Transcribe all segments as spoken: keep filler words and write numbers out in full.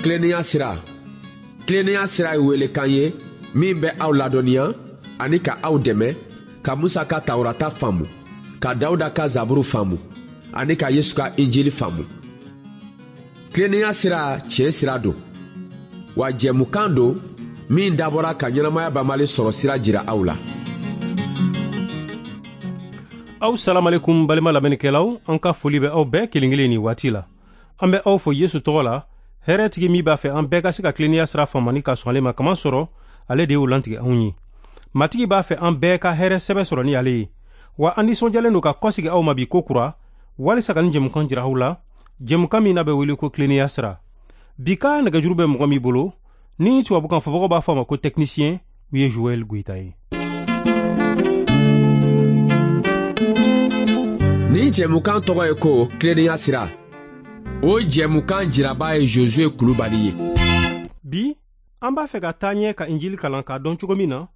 Tilennenya sira. Tilennenya sira ye welekan ye min bɛ aw ladɔnniya ani ka aw dɛmɛ ka Musa ka Tawurata faamu, ka Dawuda ka Zaburu faamu ani ka Yesu ka Injili faamu. Tilennenya sira tiɲɛ sira don, wa jɛmukan don min dabɔra ka ɲɛnamaya banbali sɔrɔ sira jira aw la. Aw salamalekum balima lamɛnnikɛlaw, an ka foli bɛ aw bɛɛ kelen kelen nin waati la. An bɛ aw fo Yesu tɔgɔ la, hɛrɛtigi min b'a fɛ an bɛɛ ka se ka tilennenya sira faamu ani ka sɔn ale ma, kaman sɔrɔ ale de y'o lantigɛ anw ye. Matigi b'a fɛ an bɛɛ ka hɛrɛ sɛbɛ sɔrɔ ni ale ye. Wa an nisɔndiyalen don ka kɔsegi aw ma bi ko kura, walisa ka nin jɛmukan jira aw la, jɛmukan min n'a bɛ wele ko tilennenya sira. Bi ka nɛgɛjuru bɛ mɔgɔ min bolo, ni tubabukan fɔbagaw b'a fɔ a ma ko technicien, u ye Joël Goïta ye. Nin jɛmukan tɔgɔ ye ko tilennenya sira. O jɛmukan jiraba ye Josué Kulubali ye. Bi, an b'a fɛ ka taa ɲɛ ka Injili kalan k'a dɔn cogo min na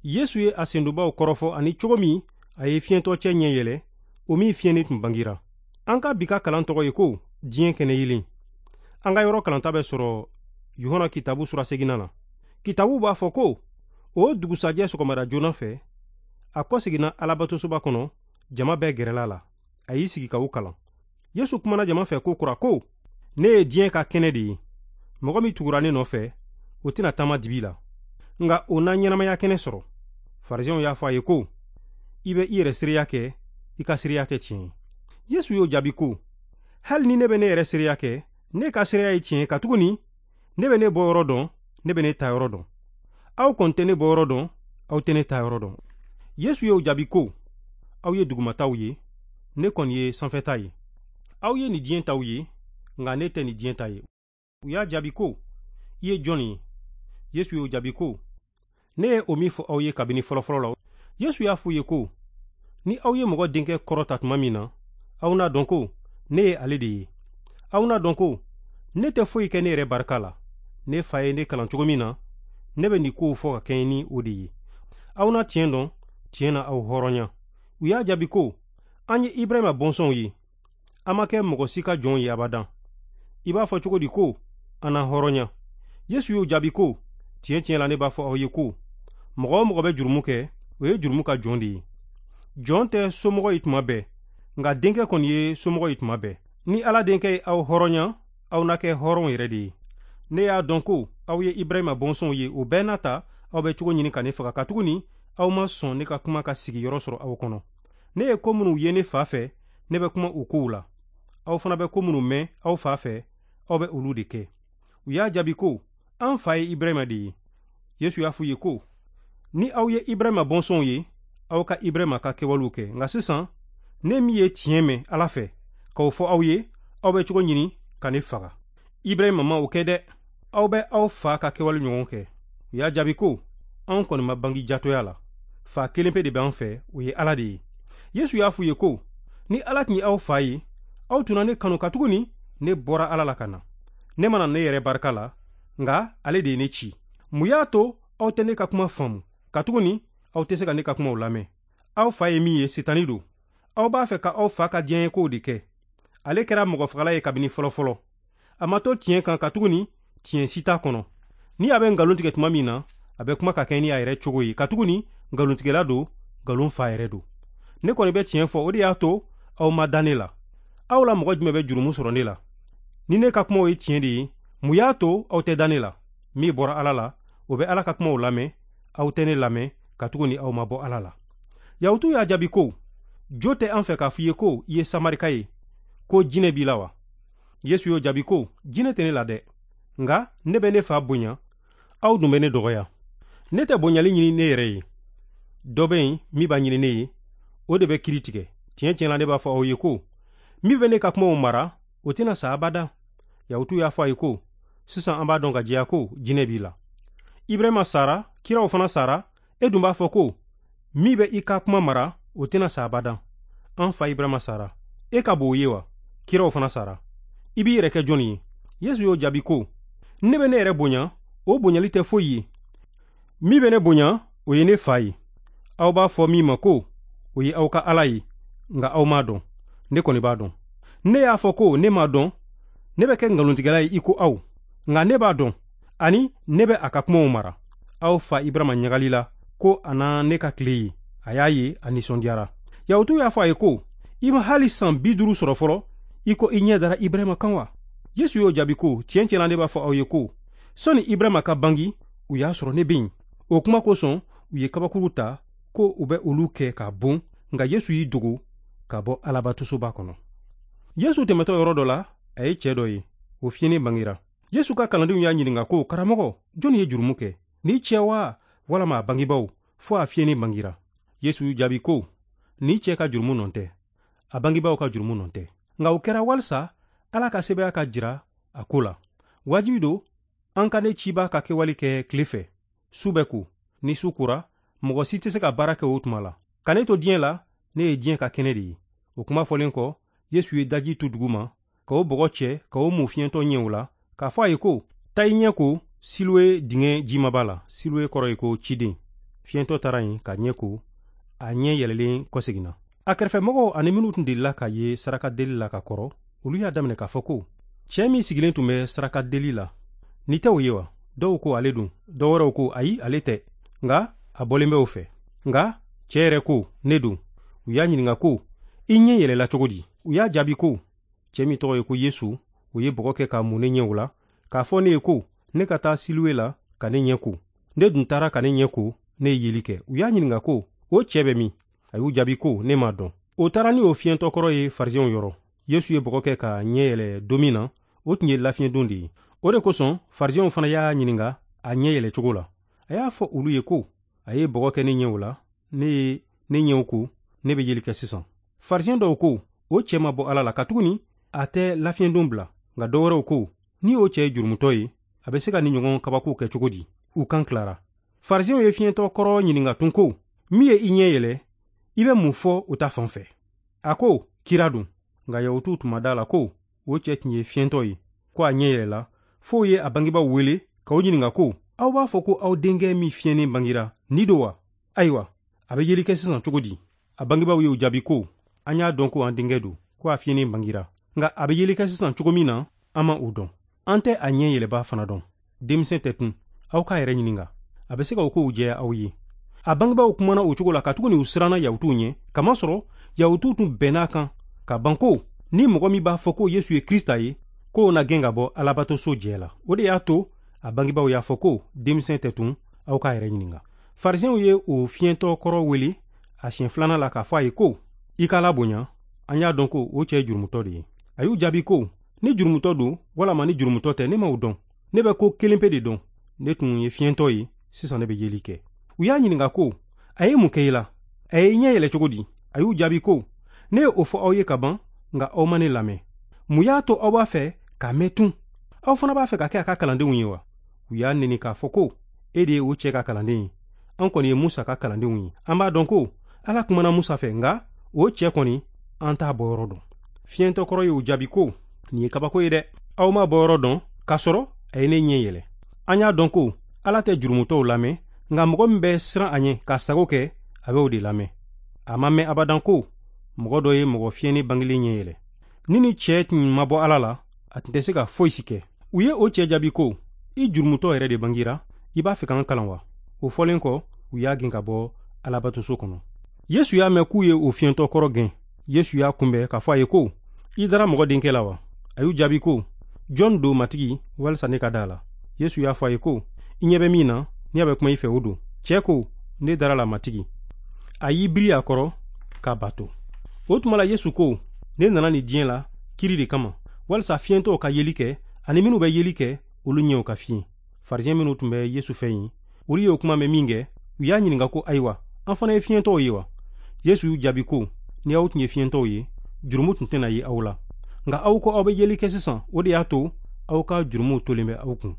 Yesu ye a sendonbaw kɔrɔfɔ ani cogo min a ye fiɲɛtɔ cɛ ɲɛ yɛlɛ, o min fiɲɛni tun bangira. An ka bi ka kalan tɔgɔ ye ko diɲɛ kɛnɛ yelen. An ka yɔrɔ kalanta bɛ sɔrɔ Yohana kitabu sura seginna na. Kitabu b'a fɔ ko o dugusajɛ sɔgɔmada joona fɛ, a kɔseginna Alabatosoba kɔnɔ, jama bɛɛ gɛrɛla la. A y'i sigi ka u kalan. Yesu kumana jama fɛ ko kura ko, ne ye diɲɛ ka kɛnɛ de ye. Mɔgɔ min tugura ne nɔfɛ, o tɛna taama dibi la, nka o na ɲɛnamaya kɛnɛ sɔrɔ. Farisɛnw y'a fɔ a ye ko, i bɛ i yɛrɛ seereya kɛ, i ka seereya tɛ tiɲɛ ye. Yesu y'o jaabi ko, hali ni ne bɛ ne yɛrɛ seereya kɛ, ne ka seereya ye tiɲɛ ye, katuguni ne bɛ ne bɔyɔrɔ dɔn, ne bɛ ne taayɔrɔ dɔn. Aw kɔni tɛ ne bɔyɔrɔ dɔn, aw tɛ ne taayɔrɔ dɔn. Yesu y'o jaabi ko, aw ye dugumataw ye, ne kɔni ye sanfɛta ye. Aw ye nin diɲɛ taw ye, nka ne tɛ nin diɲɛ ta ye. U y'a jaabi ko, i ye jɔn ye? Yesu y'o jaabi ko, ne ye o min fɔ aw ye kabini fɔlɔfɔlɔ la. Yesu y'a f'u ye ko, ni aw ye mɔgɔ denkɛ kɔrɔta tuma min na, aw n'a dɔn ko ne ye ale de ye. Aw n'a dɔn ko ne tɛ foyi kɛ ne yɛrɛ barika la. Ne fa ye ne kalan cogo min na, ne bɛ nin kow fɔ ka kɛɲɛ ni o de ye. Aw na tiɲɛ dɔn, tiɲɛ na aw hɔrɔnya. U y'a jaabi ko, an ye Ibrahima bɔnsɔnw ye, an ma kɛ mɔgɔ si ka jɔn ye abadan. I b'a fɔ cogo di ko an na hɔrɔnya? Yesu y'o jaabi ko, tiɲɛ tiɲɛ la ne b'a fɔ aw ye ko, mɔgɔ o mɔgɔ bɛ jurumu kɛ, o ye jurumu ka jɔn de ye. Jɔn tɛ somɔgɔ ye tuma bɛɛ, nka denkɛ kɔni ye somɔgɔ ye tuma bɛɛ. Ni Ala denkɛ ye aw hɔrɔnya, aw na kɛ hɔrɔnw yɛrɛ de ye. Ne y'a dɔn ko aw ye Ibrahima bɔnsɔnw ye, o bɛɛ n'a ta aw bɛ cogo ɲini ka ne faga, katuguni aw ma sɔn ne ka kuma ka sigiyɔrɔ sɔrɔ aw kɔnɔ. Ne ye ko minnu ye ne fa fɛ, ne bɛ kuma o kow la. Aw fana bɛ ko minnu mɛn aw fa fɛ, aw bɛ olu de kɛ. U y'a jaabi ko, an fa ye Ibrahima de ye. Yesu y'a f'u ye ko, ni aw ye Ibrahima bɔnsɔnw ye, aw ka Ibrahima ka kɛwalew kɛ. Nka sisan, ne min ye tiɲɛ mɛn Ala fɛ k'o fɔ aw ye, aw bɛ cogo ɲini ka ne faga. Ibrahima ma o kɛ dɛ. Aw bɛ aw fa ka kɛwale ɲɔgɔn kɛ. U y'a jaabi ko, anw kɔni ma bangi jatɔya la. Fa kelen pe de b'an fɛ, o ye Ala de ye. Yesu y'a f'u ye ko, ni Ala tun ye aw fa ye, aw tun na ne kanu, katuguni ne bɔra Ala la ka na. Ne ma na ne yɛrɛ barika la, nka ale de ye ne ci. Mun y'a to aw tɛ ne ka kuma faamu, katuguni aw tɛ se ka ne ka kumaw lamɛn? Aw fa ye min ye, Sitani don. Aw b'a fɛ ka aw fa ka diɲɛkow de kɛ. Ale kɛra mɔgɔfagala ye kabini fɔlɔfɔlɔ. A ma to tiɲɛ kan, katuguni tiɲɛ si t'a kɔnɔ. Ni a bɛ nkalon tigɛ tuma min na, a bɛ kuma ka kɛ ni a yɛrɛ cogo ye, katuguni nkalontigɛla don, nkalon fa yɛrɛ don. Ne kɔni bɛ tiɲɛ fɔ, o de y'a to aw ma da ne la. Aw la mɔgɔ jumɛn bɛ jurumu sɔrɔ ne la? Ni ne ka kumaw ye tiɲɛ de ye, mun y'a to aw tɛ da ne la? Min bɔra Ala la, o bɛ Ala ka kumaw lamɛn. Aw tɛ ne lamɛn, katuguni aw ma bɔ Ala la. Yahutuw y'a jaabi ko, jo tɛ an fɛ k'a f'i ye ko i ye Samarika ye, ko jinɛ b'i la wa? Yesu y'o jaabi ko, jinɛ tɛ ne la dɛ, nka ne bɛ ne fa bonya, aw dun bɛ ne dɔgɔya. Ne tɛ bonyali ɲini ne yɛrɛ ye. Dɔ bɛ yen min b'a ɲini ne ye, o de bɛ kiiri tigɛ. Tiɲɛ tiɲɛ la ne b'a fɔ aw ye ko, min bɛ ne ka kumaw mara, o tɛna sa abada. Yahutuw y'a fɔ a ye ko, sisan an b'a dɔn ka jɛya ko jinɛ b'i la. Ibrahima sara, kiraw fana sara, e dun b'a fɔ ko, min bɛ i ka kuma mara, o tɛna sa abada. An fa Ibrahima sara, e ka bon o ye wa? Kiraw fana sara. I b'i yɛrɛ kɛ jɔnni ye? Yesu y'o jaabi ko, ne bɛ ne yɛrɛ bonya, o bonyali tɛ foyi ye. Min bɛ ne bonya, o ye ne fa ye. Aw b'a fɔ min ma ko, o ye aw ka Ala ye, nka aw m'a dɔn. Ne kɔni b'a dɔn. Ne y'a fɔ ko ne m'a dɔn, ne bɛ kɛ nkalontigɛla ye i ko aw. Nka ne b'a dɔn, ani ne bɛ a ka kumaw mara. Aw fa Ibrahima ɲagali la ko a na ne ka tile ye. A y'a ye, a nisɔndiyara. Yahutuw y'a fɔ a ye ko, i ma hali san bi duuru sɔrɔ fɔlɔ, i ko i ɲɛ dara Ibrahima kan wa? Yesu y'o jaabi ko, tiɲɛ tiɲɛ na ne b'a fɔ aw ye ko, sɔnni Ibrahima ka bangi, u y'a sɔrɔ ne bɛ yen. O kuma kosɔn, u ye kabakuru ta ko u bɛ olu kɛ k'a bon, nka Yesu y'i dogo ka bɔ Alabatosoba kɔnɔ. Yesu tɛmɛtɔ yɔrɔ dɔ la, a ye cɛ dɔ ye, o fiyennen bangira. Yesu ka kalandenw y'a ɲininka ko, karamɔgɔ, jɔnni ye jurumu kɛ? Ni cɛ wa, walama a bangebaaw, fo a fiyennen bangira? Yesu y'u jaabi ko, ni cɛ ka jurumu nɔ tɛ, a bangebaaw ka jurumu nɔ tɛ. Nka o kɛra walisa Ala ka sɛbɛya ka jira a ko la. Wajibi don an ka ne ciba ka kɛwale kɛ tile fɛ, su bɛ ko. Ni su kora, mɔgɔ si tɛ se ka baara kɛ o tuma la. Ka ne to diɲɛ la, ne ye diɲɛ ka kɛnɛ de ye. O kuma fɔlen kɔ, Yesu ye daji tu dugu ma, ka o bɔgɔ cɛ, ka o mun fiɲɛtɔ ɲɛw la, k'a fɔ a ye ko, taa i ɲɛ ko Siloe dingɛ jimaba la. Siloe kɔrɔ ye ko ciden. Fiɲɛtɔ taara yen ka ɲɛ ko, a ɲɛ yɛlɛlen kɔseginna. A kɛrɛfɛmɔgɔw ani minnu tun delila ka ye sarakadeli la ka kɔrɔ, olu y'a daminɛ k'a fɔ ko, cɛ min sigilen tun bɛ sarakadeli la, ni tɛ o ye wa? Dɔw ko ale don, dɔw wɛrɛw ko ayi, ale tɛ, nka a bɔlen bɛ o fɛ. Nka cɛ yɛrɛ ko, ne don. U y'a ɲininka ko, i ɲɛ yɛlɛla cogo di? U y'a jaabi ko, cɛ min tɔgɔ ye ko Yesu, o ye bɔgɔ kɛ k'a mun ne ɲɛw la, k'a fɔ ne ye ko, ne ka taa Siloe la ka ne ɲɛ ko. Ne dun taara ka ne ɲɛ ko, ne ye yeli kɛ. U y'a ɲininka ko, o cɛ bɛ min? A y'u jaabi ko, ne m'a dɔn. O taara ni o fiɲɛtɔ kɔrɔ ye Farisɛnw yɔrɔ. Yesu ye bɔgɔ kɛ ka ɲɛ yɛlɛ don min na, o tun ye lafiɲɛdon de ye. O de kosɔn Farisɛnw fana y'a ɲininka a ɲɛ yɛlɛ cogo la. A y'a fɔ olu ye ko, a ye bɔgɔ kɛ ne ɲɛw la, ne ye ne ɲɛw ko, ne bɛ yeli kɛ sisan. Farisɛn dɔw ko, o cɛ ma bɔ Ala la, katuguni a tɛ lafiɲɛdon bila. Nka dɔ wɛrɛw ko, ni o cɛ ye jurumutɔ ye, a bɛ se ka ni ɲɔgɔn kabako kɛ cogo di? U kan tilara. Farisɛnw ye fiɲɛtɔ kɔrɔ ɲininka tun ko, min ye i ɲɛ yɛlɛ, i bɛ mun fɔ o ta fan fɛ? A ko, kira don. Nka Yahutuw tun ma da la ko o cɛ tun ye fiɲɛtɔ ye, ko a ɲɛ yɛlɛla, f'o ye a bangebaaw wele k'o ɲininka ko, aw b'a fɔ ko aw denkɛ min fiɲɛnen bangira, ni don wa? Ayiwa, a bɛ yeli kɛ sisan cogo di? A bangebaaw y'o jaabi ko, an y'a dɔn ko an denkɛ don, ko a fiɲɛnen bangira. Nka a bɛ yeli kɛ sisan cogo min na, an ma o dɔn. An tɛ a ɲɛ yɛlɛba fana dɔn. Denmisɛn tɛ tun, aw k'a yɛrɛ ɲininka. A bɛ se ka o kow jɛya aw ye. A bangebaaw kumana o cogo la katuguni u siranna Yahutuw ɲɛ, kamasɔrɔ Yahutuw tun bɛnn'a kan ka ban ko, ni mɔgɔ min b'a fɔ ko Yesu ye Krista ye, k'o na gɛn ka bɔ Alabatoso jɛ la. O de y'a to a bangebaaw y'a fɔ ko, denmisɛn tɛ tun, aw k'a yɛrɛ ɲininka. Farisɛnw ye o fiɲɛtɔ kɔrɔ wele a siɲɛ filanan la k'a fɔ a ye ko, i k'a la bonya, an y'a dɔn ko o cɛ ye jurumutɔ de ye. A y'u jaabi ko, ni jurumutɔ don walama ni jurumutɔ tɛ, ne m'o dɔn. Ne bɛ ko kelen pe de dɔn. Ne tun ye fiɲɛtɔ ye, sisan ne bɛ yeli kɛ. U y'a ɲininka ko, a ye mun kɛ i la? A ye ɲɛ yɛlɛ cogo di? A y'u jaabi ko, ne ye o fɔ aw ye ka ban, nka aw ma ne lamɛn. Mun y'a to aw b'a fɛ k'a mɛn tun? Aw fana b'a fɛ ka kɛ a ka kalandenw ye wa? U y'a neni k'a fɔ ko, e de ye o cɛ ka kalanden ye. An kɔni ye Musa ka kalandenw ye. An b'a dɔn ko Ala kumana Musa fɛ, nka o cɛ kɔni an t'a bɔyɔrɔ dɔn. Fiɲɛtɔ kɔrɔ y'u jaabi ko, nin ye kabako ye dɛ. Aw m'a bɔyɔrɔ dɔn, k'a sɔrɔ a ye ne ɲɛ yɛlɛ. An y'a dɔn ko Ala tɛ jurumutɔw lamɛn, nka mɔgɔ min bɛ siran a ɲɛ k'a sago kɛ, a bɛ o de lamɛn. A ma mɛn abadan ko mɔgɔ dɔ ye mɔgɔ fiɲɛnen bangelen ɲɛ yɛlɛ. Ni ni cɛ tun ma bɔ Ala la, a tun tɛ se ka foyi si kɛ. U ye o cɛ jaabi ko, i jurumutɔ yɛrɛ de bangira, i b'a fɛ k'an kalan wa? O fɔlen kɔ, u y'a gɛn ka bɔ Alabatoso kɔnɔ. Yesu y'a mɛn k'u ye o fiɲɛtɔ kɔrɔ gɛn. Yesu y'a kunbɛn k'a fɔ a ye ko, i dara mɔgɔ denkɛ la wa? A y'u jaabi ko, jɔn don Matigi, walisa ne ka da a la? Yesu y'a fɔ a ye ko, i ɲɛ bɛ min na, n'i a bɛ kuma i fɛ, o don. Cɛ ko, ne dara la Matigi. A y'i biri a kɔrɔ k'a bato. O tuma la Yesu ko, ne nana nin diɲɛ la kiri de kama, walisa fiɲɛtɔw ka yeli kɛ, ani minnu bɛ yeli kɛ, olu ɲɛw ka fiyen. Farisɛn minnu tun bɛ Yesu fɛ yen, olu ye o kuma mɛn min kɛ, u y'a ɲininka ko, ayiwa, an fana ye fiɲɛtɔw ye wa? Yesu y'u jaabi ko, ni aw tun ye fiɲɛtɔw ye, jurumu tun tɛna ye aw la. Nka aw ko aw bɛ yeli kɛ sisan, o de y'a to aw ka jurumuw tolen bɛ aw kun.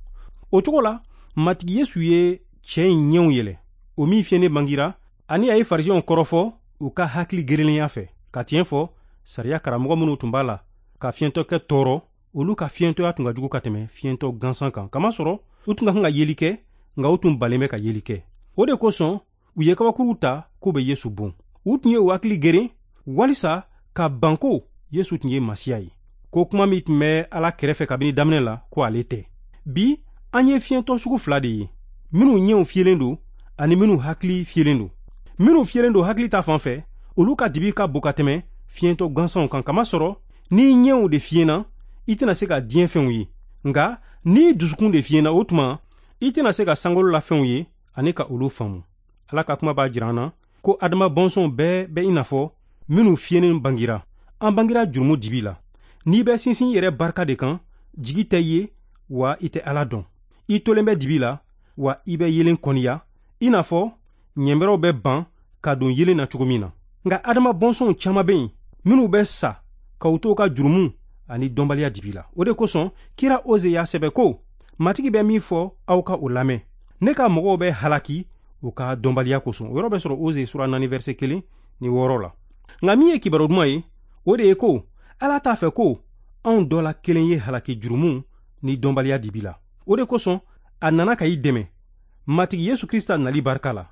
O cogo la, Matigi Yesu ye cɛ in ɲɛw yɛlɛ, o min fiɲɛnen bangira, ani a ye Farisɛnw kɔrɔfɔ u ka hakili gerenlenya fɛ, ka tiɲɛ fɔ sariya karamɔgɔ minnu tun b'a la ka fiɲɛtɔkɛ tɔɔrɔ, olu ka fiɲɛtɔya tun ka jugu ka tɛmɛ fiɲɛtɔ gansan kan, kamasɔrɔ u tun ka kan ka yeli kɛ, nka u tun balen bɛ ka yeli kɛ. O de kosɔn u ye kabakuruw ta k'u bɛ Yesu bon. U tun ye u hakili geren walisa ka ban ko Yesu tun ye Masiya ye, ko kuma min tun bɛ Ala kɛrɛfɛ kabini daminɛ la, ko ale tɛ. Bi an ye fiɲɛtɔ sugu fila de ye, minnu ɲɛw fiyɛlen don ani minnu hakili fiyɛlen don. Minnu fiyɛlen don hakili ta fan fɛ, olu ka dibi ka bon ka tɛmɛ fiɲɛtɔ gansanw kan, kamasɔrɔ n'i ɲɛw de fiyɛna, i tɛna se ka diɲɛ fɛnw ye. Nka n'i dusukun de fiyɛna, o tuma i tɛna se ka sankolo la fɛnw ye ani ka olu faamu. Ala ka kuma b'a jira an na ko Adama bɔnsɔnw bɛɛ bɛ i n'a fɔ minnu fiyɛnen bangira. An bangira jurumu dibi la. N'i bɛ sinsin i yɛrɛ barika de kan, jigi tɛ ye wa i tɛ Ala dɔn. I tolen bɛ dibi la wa i bɛ yelen kɔniya, i n'a fɔ ɲɛnbɛrɛw bɛ ban ka don yelen na cogo min na. Nka Adama bɔnsɔnw caman bɛ yen minnu bɛ sa ka u to u ka jurumu ani dɔnbaliya dibi la. O de kosɔn kira Oze y'a sɛbɛ ko, Matigi bɛ min fɔ, aw ka o lamɛn. Ne ka mɔgɔw bɛ halaki u ka dɔnbaliya kosɔn. O yɔrɔ bɛ sɔrɔ Oze sura naani verset kelen ni wɔɔrɔ la. Nka min ye kibaru duman ye, o de ye ko Ala t'a fɛ ko anw dɔ la kelen ye halaki jurumu ni dɔnbaliya dibi la. O de kosɔn a nana ka i dɛmɛ Matigi Yesu Krista nali barika la.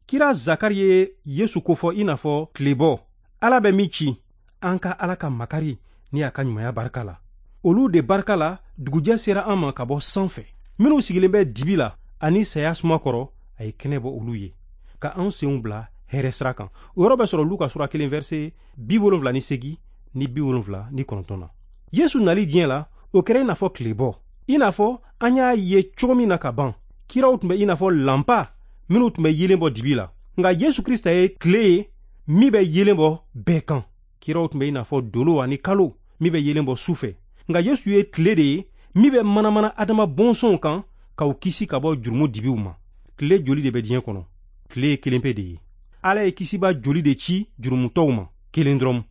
Kira Zakari ye Yesu kofɔ i n'a fɔ tilebɔ. Ala bɛ min ci, an ka Ala ka makari ni a ka ɲumanya barika la. Olu de barika la, dugujɛ sera an ma ka bɔ sanfɛ. Minnu sigilen bɛ dibi la ani saya suma kɔrɔ, a ye kɛnɛ bɔ olu ye, ka anw senw bila hɛrɛ sira kan. O yɔrɔ bɛ sɔrɔ Luka sura kelen verset bi wolonfila ni segin ni bi wolonfila ni kɔnɔntɔn na. Yesu nali diɲɛ la, o kɛra i n'a fɔ tilebɔ. I n'a fɔ an y'a ye cogo min na ka ban, kiraw tun bɛ i n'a fɔ lanpa minnu tun bɛ yelen bɔ dibi la. Nka Yesu Krista ye tile ye min bɛ yelen bɔ bɛɛ kan. Kiraw tun bɛ i n'a fɔ dolo ani kalo min bɛ yelen bɔ su fɛ. Nka Yesu ye tile de ye min bɛ manamana Adama bɔnsɔnw kan k'u kisi ka bɔ jurumu dibiw ma. Tile joli de bɛ diɲɛ kɔnɔ? Tile ye kelen pe de ye. Ala ye kisiba joli de ci jurumutɔw ma, kelen dɔrɔn.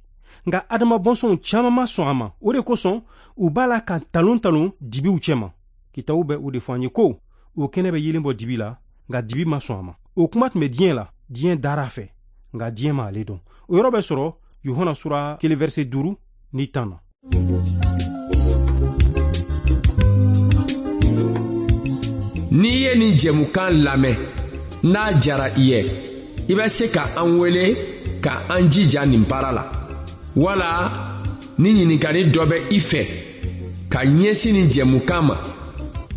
Nka Adama bɔnsɔnw caman ma sɔn a ma. O de kosɔn u b'a la ka talon talon dibiw cɛma. Kitabu bɛ o de fɔ an ye ko o kɛnɛ bɛ yelen bɔ dibi la, nka dibi ma sɔn a ma. O kuma tun bɛ diɲɛ la, diɲɛ dara a fɛ, nka diɲɛ ma ale dɔn. O yɔrɔ bɛ sɔrɔ Yohana sura kelen verset duuru ni tan na. N'i ye nin jɛmukan lamɛn, n'a jara i ye, i bɛ se ka an wele ka an jija nin baara la. Wala ni ɲininkali dɔ bɛ i fɛ ka ɲɛsin nin jɛmukan ma,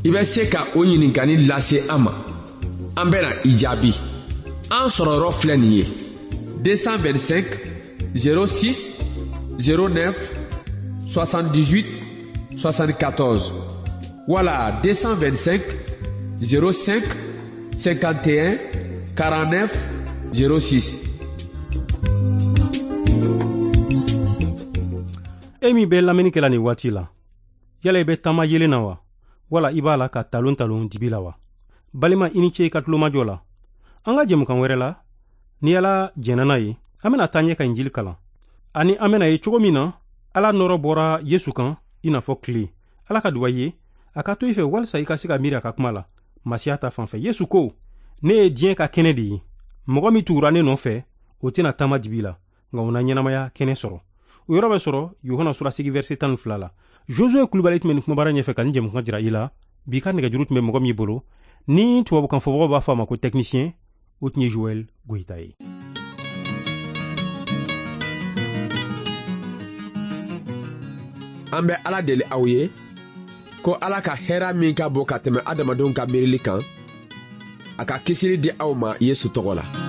i bɛ se ka o ɲininkali lase an ma. An bɛna i jaabi. An sɔrɔyɔrɔ filɛ nin ye: deux cent vingt-cinq zéro six zéro neuf soixante-dix-huit soixante-quatorze wala deux cent vingt-cinq zéro cinq cinquante et un quarante-neuf zéro six. E min bɛ lamɛnni kɛla nin waati la, yala i bɛ taama yelen na wa, wala i b'a la ka talon talon dibi la wa? Balima, i ni ce i ka tulomajɔ la. An ka jɛmukan wɛrɛ la, ni Ala jɛnna n'a ye, an bɛna taa ɲɛ ka Injili kalan, ani an bɛna ye cogo min na Ala nɔrɔ bɔra Yesu kan i n'a fɔ tile. Ala ka duwa ye a ka to i fɛ walisa i ka se ka miiri a ka kuma la Masiya ta fan fɛ. Yesu ko, ne ye diɲɛ ka kɛnɛ de ye. Mɔgɔ min tugura ne nɔfɛ, o tɛna taama dibi la, nka o na ɲɛnamaya kɛnɛ sɔrɔ. O yɔrɔ bɛ sɔrɔ Yohana sura segin verset tan ni fila la. Josue Kulubali tun bɛ nin kumabara ɲɛfɛ ka nin jɛmukan jira i la. Bi ka nɛgɛjuru tun bɛ mɔgɔ min bolo, ni tubabukan fɔbagaw b'a fɔ a ma ko technicien, o tun ye Joël Goyita ye. An bɛ Ala deli aw ye ko Ala ka hɛrɛ min ka bon ka tɛmɛ adamadenw ka miirili kan, a ka kisili di aw ma Yesu tɔgɔ la.